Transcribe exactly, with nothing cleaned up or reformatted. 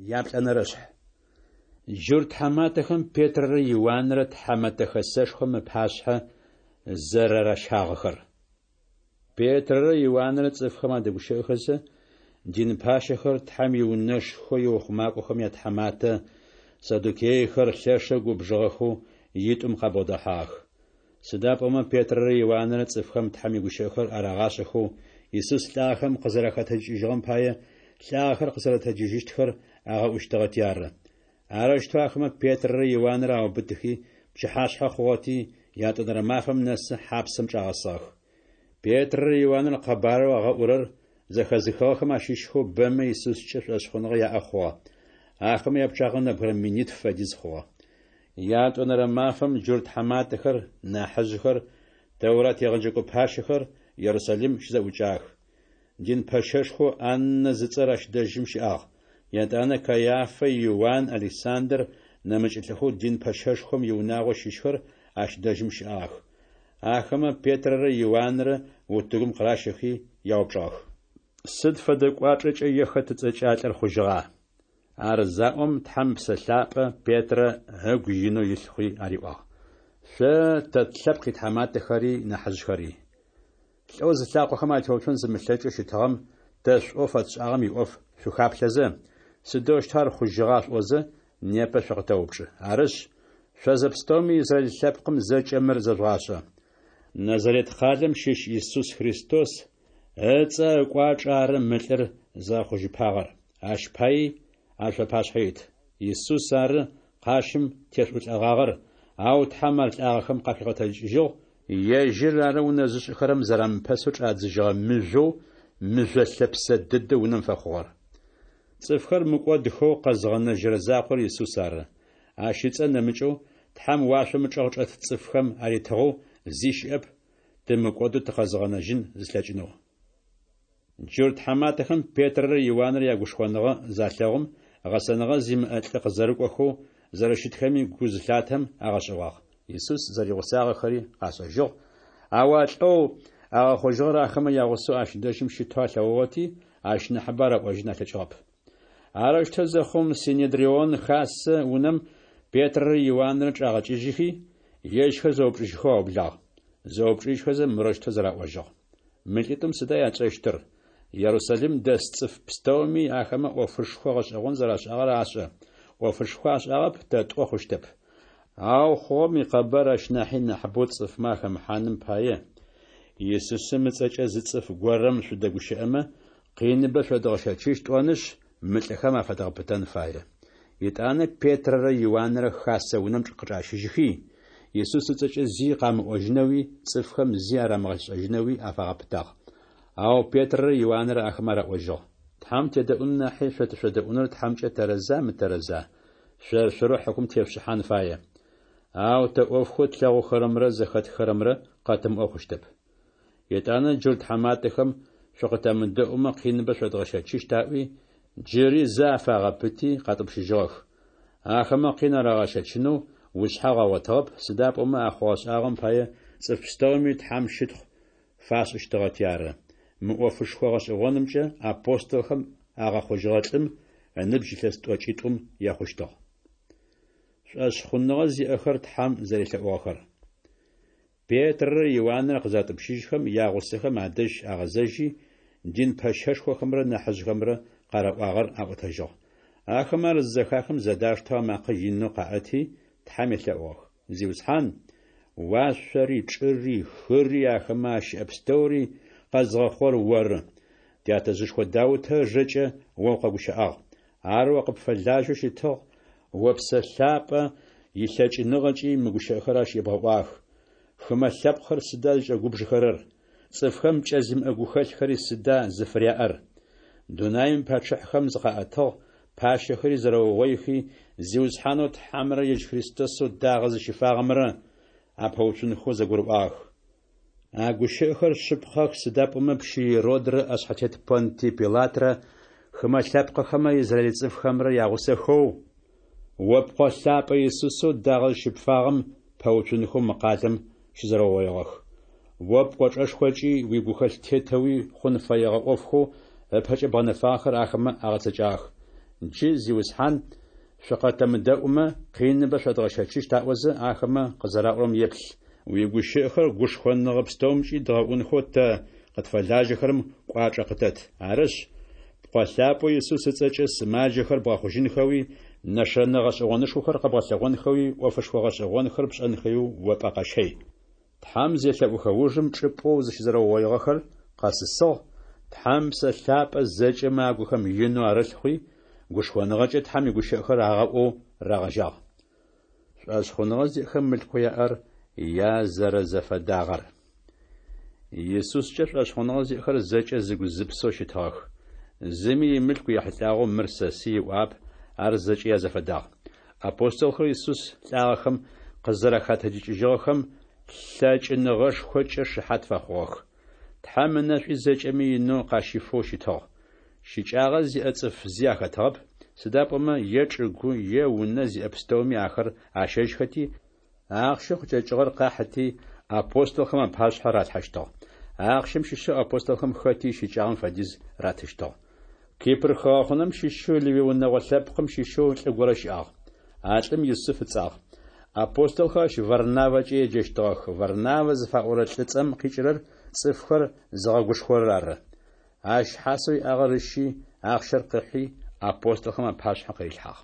Яплӏэнэрэшъхь. Джурт тхьаматэхэм Петрэрэ Иуанрэ Тхьэмэтэ Хэсэшхом ыпашъхьэ зэрэращагъэхэр. Петрэрэ Иуанрэ цӏыфхэм адэгущыӏэхэзэ, дин пащэхэр, Тхьэм иунэшхо иухъумакӏохэм ятхьаматэ, саддукейхэр лъэшэу губжыгъэхэу итӏум къабгъодэхьагъэх. Сыда пӏомэ Петрэрэ Иуанрэ цӏыфхэм Тхьэм игущыӏэхэр арагъашӏэхэу, Исус лӏагъэхэм къызэрахэтэджыкӏыжьыгъэм пае лӏагъэхэр къызэрэтэджыжьыщтхэр агъэӏущтыгъэти ары. Арэущтэу ахэмэ Петрэрэ Иуанрэ аубытыхи, пчыхьашъхьэ хъугъэти, ятӏонэрэ мафэм нэсы хьапсэм чӏагъэсыгъэх. Петрэрэ Иуанрэ къэбарэу агъэӏурэр зэхэзыхыгъэхэм ащыщхэу бэмэ Исускӏэ шӏошъхъуныгъэ яӏэ хъугъэ. Ахэмэ япчъагъэ нэбгырэ минитф фэдиз хъугъэ. Ятӏонэрэ мафэм джурт тхьаматэхэр, нахьыжъхэр, Тэурат егъэджэкӏо пащэхэр Ерусалим щызэӏукӏагъэх. Дин пэщэшхоу Аннэ зыцӏэр ащ дэжьым щыӏагъ. Етӏанэ Кайафэ, Иуан, Александр, нэмыкӏ лӏыхэу дин пэщэшхом иунагъо щыщхэр ащ дэжьым щыӏагъэх. Ахэмэ Петрэрэ Иуанрэ утыгум къыращэхи яупчӏыгъэх. Сыд фэдэ кӏуачӏэкӏэ е хэт ыцӏэкӏэ а лӏыр хъужьыгъа? Ар заӏом, Тхьэм Ыпсэ Лъапӏэ Петрэ ыгу инэу илъ хъуи ариӏуагъ: Шъо, тэ тлъэпкъ итхьаматэхэри нахьыжъхэри! Лӏэу зылъакъохэм атеуцон зымылъэкӏэу щытыгъэм тэ шӏоу фэтшӏагъэм иӏоф шъухаплъэзэ, сыдэущтэу ар хъужьыгъа шъуӏозэ, непэ шъукъытэупчӏы. Арышъ, шъо зэпстэуми Израил лъэпкъым зэкӏэ мыр зэжъугъашӏэ: Назарет къалэм щыщ Исус Христос ыцӏэ ыкӏуачӏэ ары мы лӏыр зыгъэхъужьыпагъэр, ащ паий ар шъуапашъхьэ ит. Исус ары къащым тешъуӏулӏэгъагъэр, ау Тхьэм ар лӏагъэхэм къахигъэтэджыкӏыжьыгъ, Ежьыр ары унэ зышӏыхэрэм зэрамыпэсэу чӏадзыжьыгъэ мыжъоу мыжъо лъэпсэ дэдэу унэм фэхъугъэр. Цӏыфхэр мыкӏодхэу къэзыгъэнэжьырэ закъор Исус ары. Ащ ыцӏэ нэмыкӏэу Тхьэм уашъом ычӏэгъ чӏэт цӏыфхэм аритыгъэу зи щыӏэп тымыкӏодэу тыкъэзыгъэнэжьын зылъэкӏынэу. Джурт тхьаматэхэм Петрэрэ Иуанрэ ягушхоныгъэ залъэгъум, гъэсэныгъэ зимыӏэ лӏы къызэрыкӏохэу зэрэщытхэми гу зылъатэм агъэшӏэгъуагъ. Исус зэригъусагъэхэри къашӏэжьыгъ, ау а лӏэу агъэхъужьыгъэр ахэмэ ягъусэу ащ дэжьым щытэу алъэгъугъэти, ащ нахьыбэ араӏожьын алъэкӏыгъэп. Арэущтэу зэхъум, Синедрион хасэ унэм Петрэрэ Иуанрэ чӏагъэкӏыжьыхи, ежьхэр зэупчӏыжьхэу аублагъ. Зэупчӏыжьхэзэ мырэущтэу зэраӏожьыгъ: Мы лӏитӏум сыда ятшӏэщтыр? Ерусалим дэс цӏыф пстэуми ахэмэ ӏофышхо гъэшӏэгъон зэрашӏагъэр ашӏэ. ӏофышхо ашӏагъэп тэ тӏо хъущтэп. Ау хъугъэм икъэбар ащ нахьи нахьыбэу цӏыфмэ ахэмыхьаным пае, Исусым ыцӏэкӏэ зы цӏыф горэм шъудэгущыӏэмэ, къиныбэ шъодгъэщэчыщт тӏонышъ, мы лӏыхэм афэдгъэпытэн фае. Етӏанэ Петрэрэ Иуанрэ хасэ унэм къычӏащыжьыхи, Исус ыцӏэкӏэ зи къамыӏожьынэуи цӏыфхэм зи арамыгъэшӏэжьынэуи афагъэпытагъ. Ау Петрэрэ Иуанрэ ахэмэ араӏожьыгъ: Тхьэм тедэӏун нахьи шъо тышъодэӏуныр Тхьэмкӏэ тэрэза мытэрэза? Шъор-шъорэу хьыкум тешъушӏыхьан фае. Ау тэ ӏофхэу тлъэгъухэрэмрэ зэхэтхыхэрэмрэ къэтымыӏо хъущтэп. Етӏанэ джурт тхьаматэхэм шъукъытэмыдэӏумэ къиныбэ шъодгъэщэчыщт аӏуи, джыри зэ афагъэпыти къатӏупщыжьыгъэх. Ахэмэ къин арагъэщэчынэу ушъхьагъу агъотыгъэп, сыда пӏомэ а хъугъэ-шӏагъэм пае цӏыф пстэуми Тхьэм щытхъу фашӏыщтыгъэти ары. Мы ӏофышхо гъэшӏэгъонымкӏэ апостолхэм агъэхъужьыгъэ лӏым ыныбжь илъэс тӏокӏитӏум ехъущтыгъ. Шӏошъхъуныгъэ зиӏэхэр Тхьэм зэрелъэӏугъэхэр. Петрэрэ Иуанрэ къызатӏупщыжьхэм, ягъусэхэм адэжь агъэзэжьи, дин пэщэшхохэмрэ нахьыжъхэмрэ къараӏуагъэр аӏотэжьыгъ. Ахэмэ ар зызэхахым зэдаштэу амакъэ инэу къаӏэти, Тхьэм елъэӏугъэх: Зиусхьан, уашъори, чӏыри, хыри, ахэмэ ащыӏэ пстэури къэзгъэхъугъэр Оры. Тятэжъышхо Даутэ ыжэкӏэ О укъэгущыӏагъ. Ар О къыпфэлажьэу щытыгъ, О Псэ Лъапӏэ илъэкӏыныгъэкӏи мы гущыӏэхэр ащ ебгъэӏуагъэх: Хымэ лъэпкъхэр сыда зыкӏэгубжыхэрэр? Цӏыфхэм пкӏэ зимыӏэ гухэлъхэри сыда зыфыряӏэр? Дунаим ипачъыхьэхэм зыкъаӏэтыгъ, пащэхэри зэрэугъоихи, Зиусхьанэу Тхьэмрэ ежь Христосэу дагъэ зыщыфагъэмрэ апэуцунхэу зэгурыӏуагъэх. А гущыӏэхэр шъыпкъэх, сыда пӏомэ пщы Иродрэ ӏэшъхьэтет Понтий Пилатрэ хымэ лъэпкъыхэмрэ израиль цӏыфхэмрэ ягъусэхэу О Пкъо лъапӏэ Исусэу дагъэ зыщыпфагъэм пэуцунхэу мы къалэм щызэрэугъоигъэх. О пкӏочӏэшхокӏи уигухэлъ тетэуи хъун фэегъэ ӏофхэу ыпэкӏэ бгъэнэфагъэхэр ахэмэ агъэцэкӏагъэх. Джы, Зиусхьан, шъукъытэмыдэӏумэ, къиныбэ шъодгъэщэчыщт аӏозэ, ахэмэ къызэраӏорэм еплъ. Уигущыӏэхэр гушхоныгъэ пстэумкӏи дгъэӏунхэу тэ, къытфэлажьэхэрэм, кӏуачӏэ къытэт. Арышъ, Пкъо лъапӏэу Исус ыцӏэкӏэ сымаджэхэр бгъэхъужьынхэуи, нэшэнэ гъэшӏэгъонышхохэр къэбгъэлъэгъонхэуи, ӏофышхо гъэшӏэгъонхэр пшӏэнхэуи о пӏэ къэщэй. Тхьэм зелъэӏухэ ужым, чӏыпӏэу зыщызэрэугъоигъэхэр къэсысыгъ, Тхьэм Псэ Лъапӏэ зэкӏэмэ агухэм инэу арылъ хъуи, гушхоныгъэкӏэ Тхьэм игущыӏэхэр агъэӏоу рагъэжьагъ. Шӏошъхъуныгъэ зиӏэхэм мылъкоу яӏэр язэрэзэфэдагъэр. Исускӏэ шӏошъхъуныгъэ зиӏэхэр зэкӏэ зыгу-зыпсэу щытыгъэх. Зыми имылъку ехьылӏагъэу мыр сэсый ыӏуагъэп, ар зэкӏэ язэфэдагъ. Апостолхэр Исус лӏагъэхэм къызэрахэтэджыкӏыжьыгъэхэм лъэкӏыныгъэшхокӏэ шыхьат фэхъугъэх. Тхьэм ынэшӏуи зэкӏэми инэу къащифэу щытыгъ. Щыкӏагъэ зиӏэ цӏыф зи ахэтыгъэп, сыда пӏомэ е чӏыгу, е унэ зиӏэ пстэуми ахэр ащэжьхэти, ахъщэу къыкӏэкӏыгъэр къахьыти, апостолхэм апашъхьэ ралъхьэщтыгъ. Ахъщэм щыщэу апостолхэм хэти ищыкӏагъэм фэдиз ратыщтыгъ. Кипр хыгъэхъунэм щыщэу Левый унэгъо лъэпкъым щыщэу лӏы горэ щыӏагъ. А лӏым Юсыф ыцӏагъ. Апостолхэр ащ Варнавэкӏэ еджэщтыгъэх, Варнавэ зыфаӏорэ лӏыцӏэм къикӏырэр цӏыфхэр зыгъэгушхорэр ары. Ащ хьасэу иӏагъэр ыщи, ахъщэр къыхьи, апостолхэм апашъхьэ къырилъхьагъ.